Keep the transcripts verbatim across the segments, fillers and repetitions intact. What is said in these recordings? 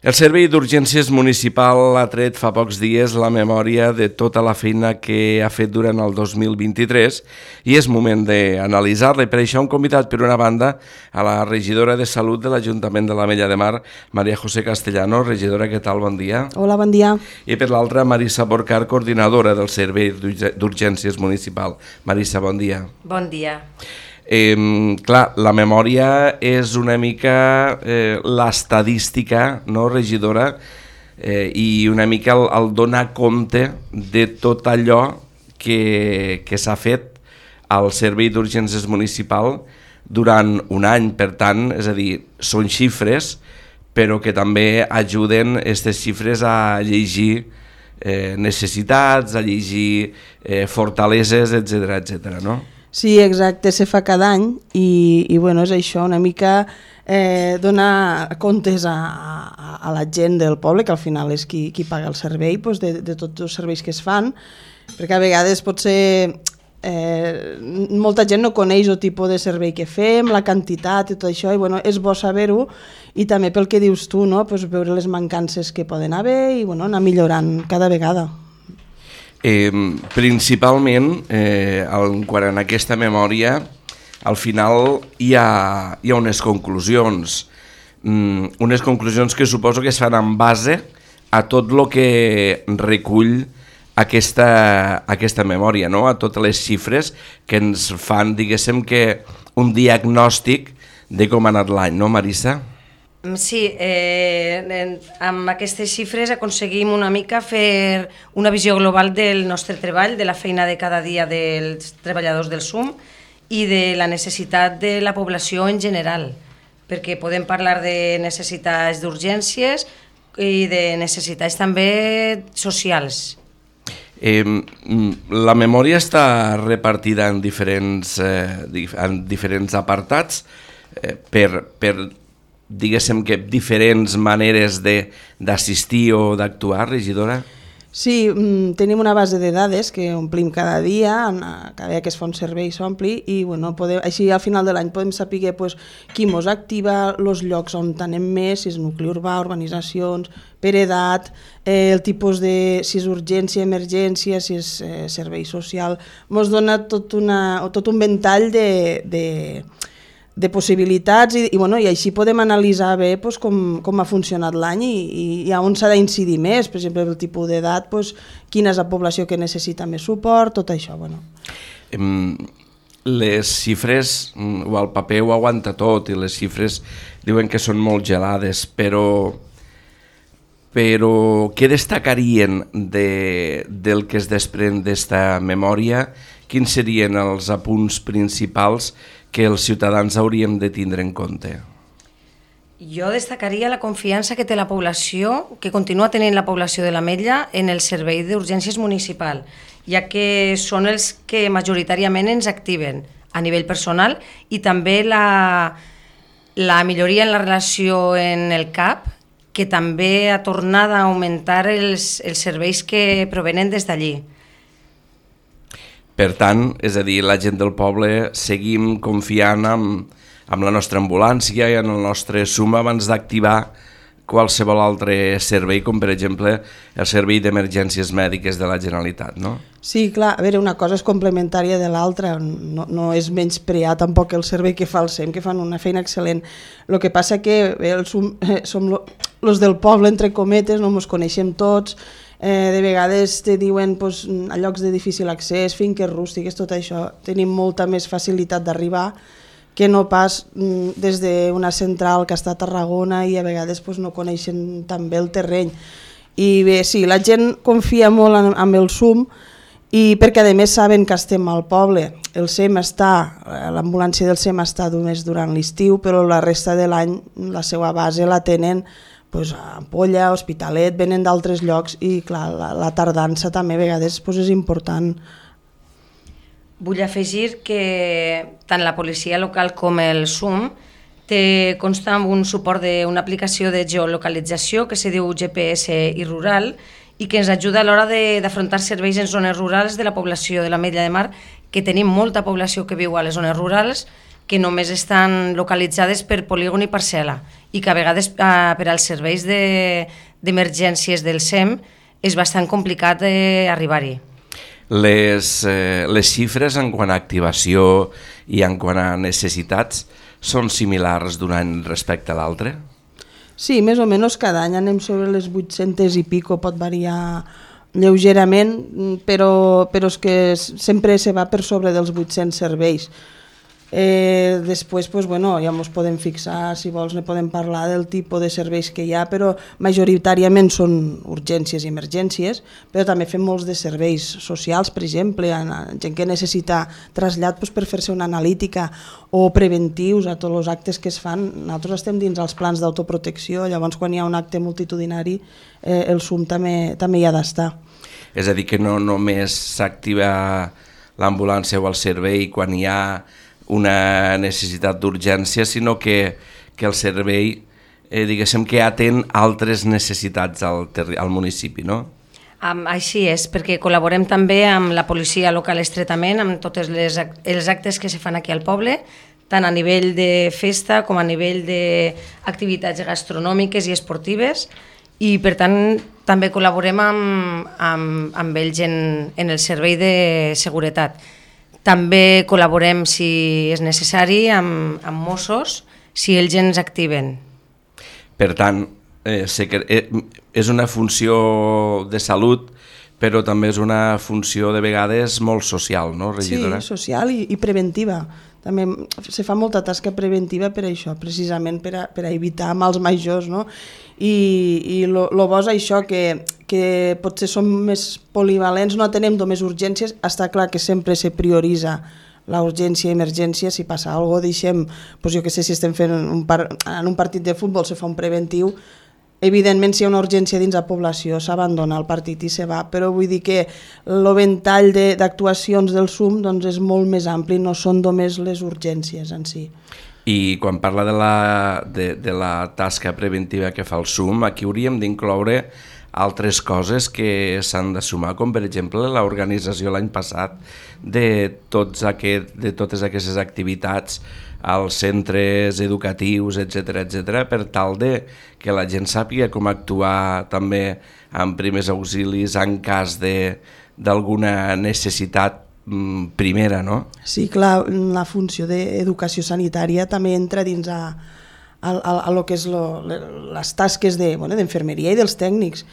El Servei d'Urgències Municipal ha tret fa pocs dies la memòria de tota la feina que ha fet durant el dos mil vint-i-tres i és moment d'analitzar-la. I per això hem convidat, per una banda, a la regidora de Salut de l'Ajuntament de l'Ametlla de Mar, María José Castellano. Regidora, què tal? Bon dia. Hola, bon dia. I per l'altra, Marissa Porcar, coordinadora del Servei d'Urgències Municipal. Marissa, bon dia. Bon dia. Eh, clar, la memòria és una mica eh, l'estadística, no, regidora? Eh, I una mica el, el donar compte de tot allò que, que s'ha fet al Servei d'Urgències Municipal durant un any. Per tant, és a dir, són xifres, però que també ajuden aquestes xifres a llegir eh, necessitats, a llegir eh, fortaleses, etcètera, etcètera, no? Sí, exacte, se fa cada any i, i bueno, és això, una mica eh, donar comptes a, a, a la gent del poble, que al final és qui, qui paga el servei, doncs de, de tots els serveis que es fan, perquè a vegades pot ser... Eh, molta gent no coneix el tipus de servei que fem, la quantitat i tot això, i bueno, és bo saber-ho, i també pel que dius tu, no? Pues veure les mancances que poden haver i bueno, anar millorant cada vegada. Eh, principalment, eh, en quant a aquesta memòria, al final hi ha, hi ha unes conclusions, mm, unes conclusions que suposo que es fan en base a tot el que recull aquesta, aquesta memòria, no? A totes les xifres que ens fan, diguéssim, que un diagnòstic de com ha anat l'any, no, Marissa? Sí, eh, amb aquestes xifres aconseguim una mica fer una visió global del nostre treball, de la feina de cada dia dels treballadors del S U M i de la necessitat de la població en general, perquè podem parlar de necessitats d'urgències i de necessitats també socials. Eh, la memòria està repartida en diferents, eh, en diferents apartats eh, per... per diguéssim que diferents maneres d'assistir o d'actuar, regidora? Sí, tenim una base de dades que omplim cada dia, cada dia que es fa un servei s'ompli i bueno, podem, així al final de l'any podem saber pues, qui mos activa, els llocs on anem més, si és nucli urbà, urbanitzacions, per edat, eh, el tipus de, si és urgència, emergència, si és eh, servei social, mos dona tot, una, tot un ventall de... de de possibilitats i, i, bueno, i així podem analitzar bé pues, com, com ha funcionat l'any i, i, i on s'ha d'incidir més, per exemple, el tipus d'edat, pues, quina és la població que necessita més suport, tot això. Bueno. Les xifres, o el paper ho aguanta tot i les xifres diuen que són molt gelades, però, però què destacarien de, del que es desprèn d'esta memòria? Quins serien els apunts principals que els ciutadans hauríem de tindre en compte? Jo destacaria la confiança que té la població, que continua tenint la població de l'Ametlla en el servei d'urgències municipal, ja que són els que majoritàriament ens activen a nivell personal i també la, la milloria en la relació en el C A P, que també ha tornat a augmentar els, els serveis que provenen des d'allí. Per tant, és a dir, la gent del poble seguim confiant en, en la nostra ambulància i en el nostre S U M abans d'activar qualsevol altre servei, com per exemple el servei d'emergències mèdiques de la Generalitat, no? Sí, clar, a veure, una cosa és complementària de l'altra, no, no és menysprear tampoc el servei que fa el S E M, que fan una feina excel·lent. El que passa que bé, el S U M, eh, som els del poble, entre cometes, no ens coneixem tots, eh, de vegades te diuen pues, a llocs de difícil accés, finques rústiques, tot això, tenim molta més facilitat d'arribar que no pas mm, des d'una central que està a Tarragona i a vegades pues, no coneixen tan bé el terreny. I bé, sí, la gent confia molt en, en el S U M i perquè a més saben que estem al poble. El S E M està, l'ambulància del S E M està només durant l'estiu, però la resta de l'any la seva base la tenen pues, a Ampolla, Hospitalet, venen d'altres llocs i clar, la, la tardança també a vegades pues, és important. Vull afegir que tant la policia local com el S U M té consta amb un suport d'una aplicació de geolocalització que se diu G P S i rural i que ens ajuda a l'hora d'afrontar serveis en zones rurals de la població de l'Ametlla de Mar, que tenim molta població que viu a les zones rurals que només estan localitzades per polígon i parcel·la i que a vegades eh, per als serveis d'emergències de, del S E M és bastant complicat eh, arribar-hi. Les, eh, les xifres en quant a activació i en quant a necessitats són similars d'un any respecte a l'altre? Sí, més o menys cada any anem sobre les vuit-centes i pico, pot variar lleugerament, però, però és que sempre se va per sobre dels vuit-cents serveis. Eh, després pues, bueno, ja ens podem fixar, si vols ne podem parlar del tipus de serveis que hi ha, però majoritàriament són urgències i emergències, però també fem molts de serveis socials, per exemple, gent que necessita trasllat pues, per fer-se una analítica o preventius a tots els actes que es fan. Nosaltres estem dins els plans d'autoprotecció, llavors quan hi ha un acte multitudinari eh, el S U M també, també hi ha d'estar. És a dir, que no només s'activa l'ambulància o el servei quan hi ha una necessitat d'urgència, sinó que, que el servei eh, diguéssim que atén altres necessitats al, al municipi, no? Um, així és, perquè col·laborem també amb la policia local estretament, amb tots les, els actes que se fan aquí al poble, tant a nivell de festa com a nivell d'activitats gastronòmiques i esportives, i per tant també col·laborem amb, amb, amb ells en, en el servei de seguretat. També col·laborem, si és necessari, amb, amb Mossos, si ells ens activen. Per tant, eh, és una funció de salut, però també és una funció de vegades molt social, no, regidora? Sí, social i, i preventiva. També se fa molta tasca preventiva per això, precisament per a, per a evitar mals majors, no? I, i lo, lo bo és això, que, que potser som més polivalents, no atenem només urgències, està clar que sempre se prioritza la urgència i emergència, si passa alguna cosa deixem, doncs jo que sé, si estem fent un par, en un partit de futbol se fa un preventiu, evidentment si hi ha una urgència dins la població s'abandona el partit i se va, però vull dir que el ventall d'actuacions del S U M doncs, és molt més ampli, no són només les urgències en si. I quan parla de la, de, de la tasca preventiva que fa el S U M, aquí hauríem d'incloure altres coses que s'han de sumar, com per exemple l'organització l'any passat de, tots aquest, de totes aquestes activitats als centres educatius, etcètera, etcètera, per tal de que la gent sàpiga com actuar també amb primers auxilis en cas d'alguna necessitat primera, no? Sí, clar, la funció d'educació sanitària també entra dins a, a, a, a lo que és lo, les tasques de, bueno, d'enfermeria i dels tècnics.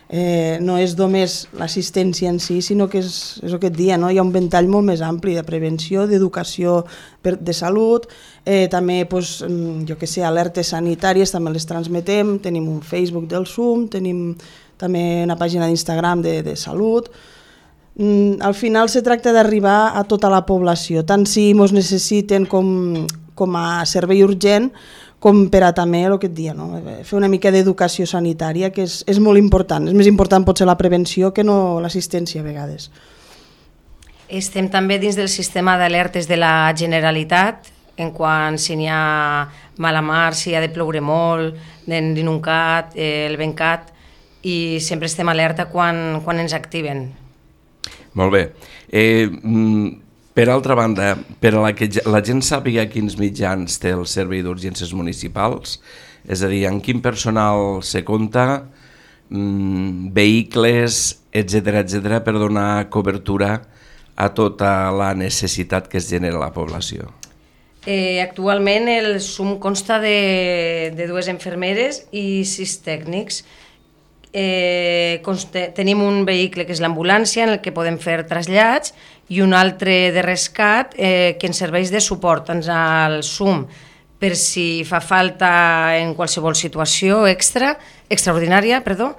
Eh, no és només l'assistència en si, sinó que és, és el que et dia, no? Hi ha un ventall molt més ampli de prevenció, d'educació de salut, eh, també pues, jo que sé, alertes sanitàries també les transmetem, tenim un Facebook del S U M, tenim també una pàgina d'Instagram de, de salut. Mm, al final se tracta d'arribar a tota la població, tant si ens necessiten com, com a servei urgent, com per a també el que et dia, no? Fer una mica d'educació sanitària, que és, és molt important. És més important potser la prevenció que no l'assistència a vegades. Estem també dins del sistema d'alertes de la Generalitat, en quant si n'hi ha mala mar, si ha de ploure molt, l'inuncat, eh, el vencat, i sempre estem alerta quan, quan ens activen. Molt bé. Eh, per altra banda, per a la que la gent sàpiga quins mitjans té el Servei d'Urgències Municipals, és a dir, en quin personal se compta, mmm, vehicles, etcètera, etcètera, per donar cobertura a tota la necessitat que es genera a la població. Eh, actualment el S U M consta de, de dues infermeres i sis tècnics. Eh, conste, tenim un vehicle que és l'ambulància en el que podem fer trasllats i un altre de rescat eh, que ens serveix de suport tant al S U M per si fa falta en qualsevol situació extra, extraordinària, perdó,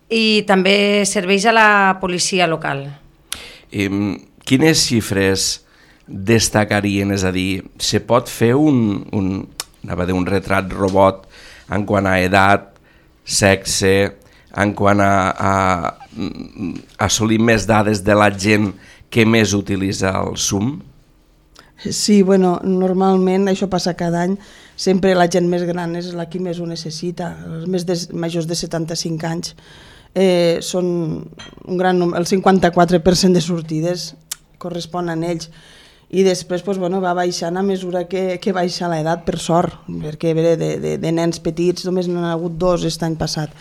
i també serveix a la policia local. Eh, quines xifres destacarien? És a dir, se pot fer un, un, anava a dir, un retrat robot en quant a edat, sexe, en quant a, a, a assolir més dades de la gent que més utilitza el S U M? Sí, bueno, normalment això passa cada any, sempre la gent més gran és la que més ho necessita, els més de, majors de setanta-cinc anys eh, són un gran número, el cinquanta-quatre per cent de sortides corresponen a ells. i després pues, bueno, va baixant a mesura que, que baixa l'edat, per sort, perquè de, de, de nens petits només n'hi ha hagut dos aquest any passat.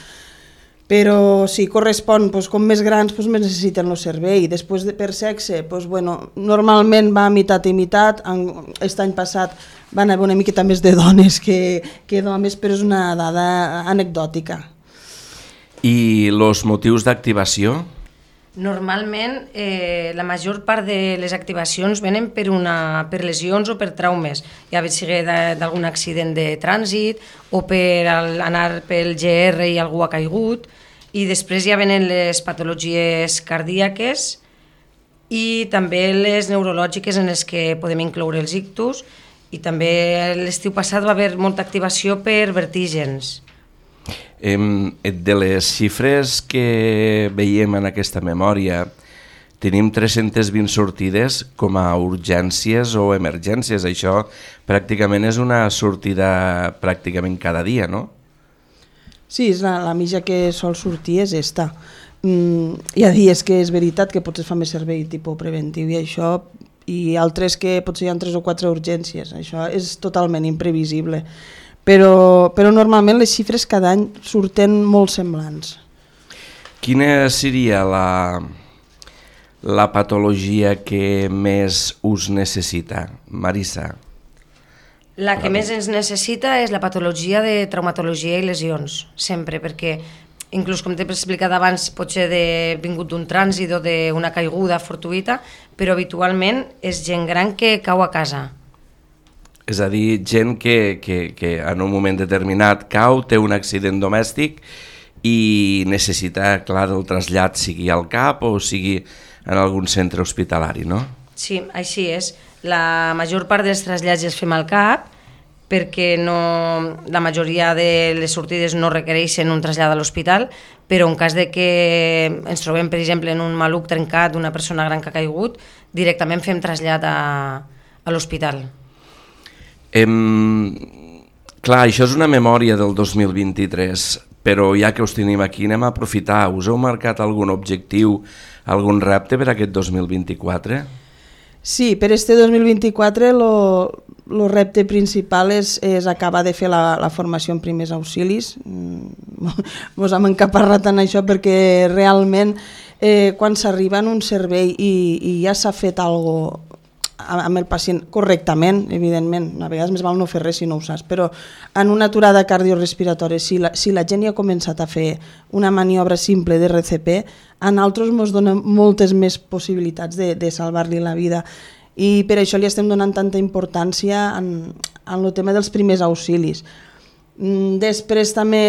Però si correspon, pues, com més grans pues, més necessiten el servei. Després de, per sexe, pues, bueno, normalment va a meitat i meitat. Aquest any passat van haver una miqueta més de dones que, que d'homes, però és una dada anecdòtica. I els motius d'activació? Normalment, eh, la major part de les activacions venen per, una, per lesions o per traumes, ja ve sigui d'algun accident de trànsit o per anar pel G R i algú ha caigut, i després ja venen les patologies cardíaques i també les neurològiques en les que podem incloure els ictus, i també l'estiu passat va haver molta activació per vertígens. De les xifres que veiem en aquesta memòria, tenim tres-centes vint sortides com a urgències o emergències. Això pràcticament és una sortida pràcticament cada dia, no? Sí, és la, la mitja que sol sortir és esta. Mm, hi ha dies que és veritat que potser es fa més servei tipus preventiu i això, i altres que potser hi ha tres o quatre urgències. Això és totalment imprevisible. Però, però normalment les xifres cada any surten molt semblants. Quina seria la, la patologia que més us necessita, Marisa? La que més ens necessita és la patologia de traumatologia i lesions, sempre, perquè inclús com t'he explicat abans, pot ser de, vingut d'un trànsit o d'una caiguda fortuïta, però habitualment és gent gran que cau a casa. És a dir, gent que, que, que en un moment determinat cau, té un accident domèstic i necessita, clar, el trasllat sigui al C A P o sigui en algun centre hospitalari, no? Sí, així és. La major part dels trasllats els fem al C A P perquè no, la majoria de les sortides no requereixen un trasllat a l'hospital, però en cas de que ens trobem, per exemple, en un maluc trencat d'una persona gran que ha caigut, directament fem trasllat a, a l'hospital. Em, clar, això és una memòria del dos mil vint-i-tres, però ja que us tenim aquí anem a aprofitar. Us heu marcat algun objectiu, algun repte per aquest dos mil vint-i-quatre? Sí, per este dos mil vint-i-quatre el repte principal és, és acabar de fer la, la formació en primers auxilis. Mos hem encaparrat en això perquè realment eh, quan s'arriba en un servei i, i ja s'ha fet alguna cosa amb el pacient correctament, evidentment, a vegades més val no fer res si no ho saps, però en una aturada cardiorespiratòria, si la, si la gent ja ha començat a fer una maniobra simple de R C P, a nosaltres ens dona moltes més possibilitats de, de salvar-li la vida, i per això li estem donant tanta importància en, en el tema dels primers auxilis. Després també,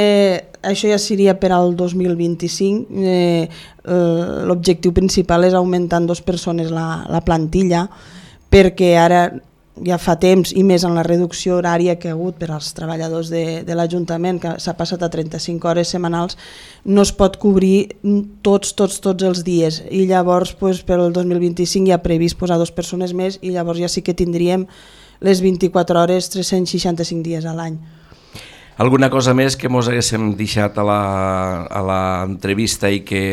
això ja seria per al dos mil vint-i-cinc, eh, l'objectiu principal és augmentar en dues persones la, la plantilla, perquè ara ja fa temps, i més en la reducció horària que ha hagut per als treballadors de, de l'Ajuntament, que s'ha passat a trenta-cinc hores setmanals, no es pot cobrir tots, tots, tots els dies. I llavors, pues, per al dos mil vint-i-cinc ja ha previst posar dues persones més i llavors ja sí que tindríem les vint-i-quatre hores, tres-cents seixanta-cinc dies a l'any. Alguna cosa més que mos haguéssim deixat a l'entrevista i que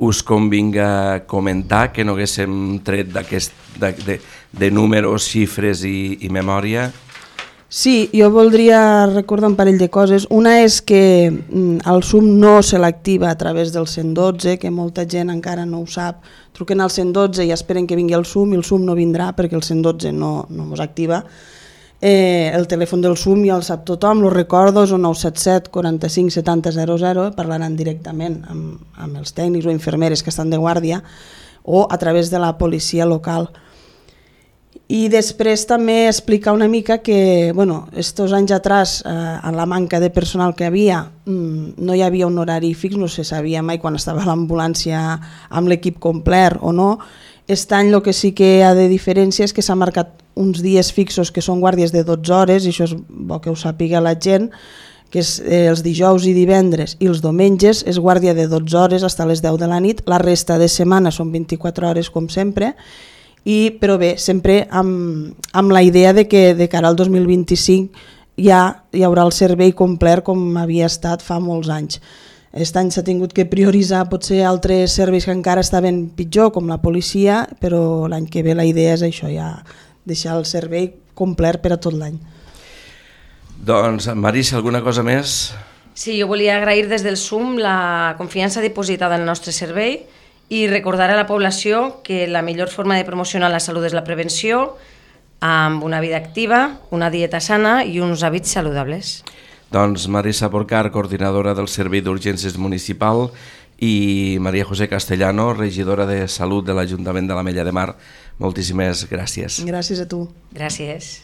us convinga comentar, que no haguéssim tret d'aquest de, de, de números, xifres i, i memòria? Sí, jo voldria recordar un parell de coses. Una és que el S U M no se l'activa a través del cent dotze, que molta gent encara no ho sap. Truquen al cent dotze i esperen que vingui el S U M i el S U M no vindrà perquè el cent dotze no, no mos activa. Eh, el telèfon del S U M ja el sap tothom, el recordo, és el nou set set quaranta-cinc setanta zero zero, parlaran directament amb, amb els tècnics o infermeres que estan de guàrdia o a través de la policia local. I després també explicar una mica que, bueno, estos anys atrás, eh, en la manca de personal que havia, mmm, no hi havia un horari fix, no se sabia mai quan estava a l'ambulància amb l'equip complet o no. Aquest any el que sí que hi ha de diferència és que s'ha marcat uns dies fixos que són guàrdies de dotze hores, i això és bo que ho sàpiga la gent, que és eh, els dijous i divendres i els diumenges és guàrdia de dotze hores fins a les deu de la nit, la resta de setmana són vint-i-quatre hores com sempre, i, però bé, sempre amb, amb la idea de que de cara al dos mil vint-i-cinc ja hi haurà el servei complet com havia estat fa molts anys. Aquest any s'ha tingut que prioritzar potser altres serveis que encara estaven pitjor, com la policia, però l'any que ve la idea és això, ja deixar el servei complet per a tot l'any. Doncs, Marisa, alguna cosa més? Sí, jo volia agrair des del S U M la confiança dipositada en el nostre servei i recordar a la població que la millor forma de promocionar la salut és la prevenció, amb una vida activa, una dieta sana i uns hàbits saludables. Doncs Marisa Porcar, coordinadora del Servei d'Urgències Municipal, i Maria José Castellano, regidora de Salut de l'Ajuntament de l'Ametlla de Mar. Moltíssimes gràcies. Gràcies a tu. Gràcies.